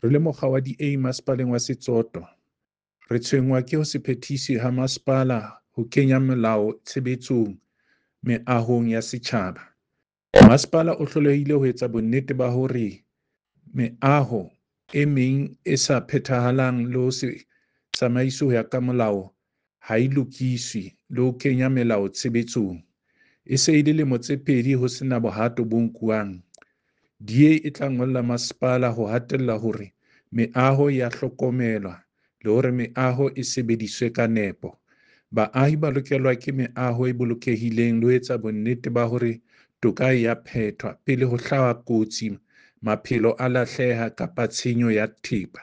Re le mokga wa DA Masepaleng wa Setsoto, re tshwenngwa ke ho se phethise ha masepala ho kenya melao tshebetsong meahong ya setjhaba. Masepala o hlolehile ho etsa bonnete ba hore meaho e meng e sa phethahalang le ho se tsamaiswe ho ya ka molao ha e lokiswe le ho kenya melao tshebetsong. E se e le lemo tse pedi ho sena bohato bo nkuwang. DA e tla ngolla masepala ho hatella hore meaho ya hlokomelwa le hore meaho e sebediswe ka nepo. Baahi ba lokelwa ke meaho e bolokehileng le ho etsa bonnete ba hore toka e ya phethwa pele ho hlaha kotsi, maphelo a lahleha kapa tshenyo ya thepa.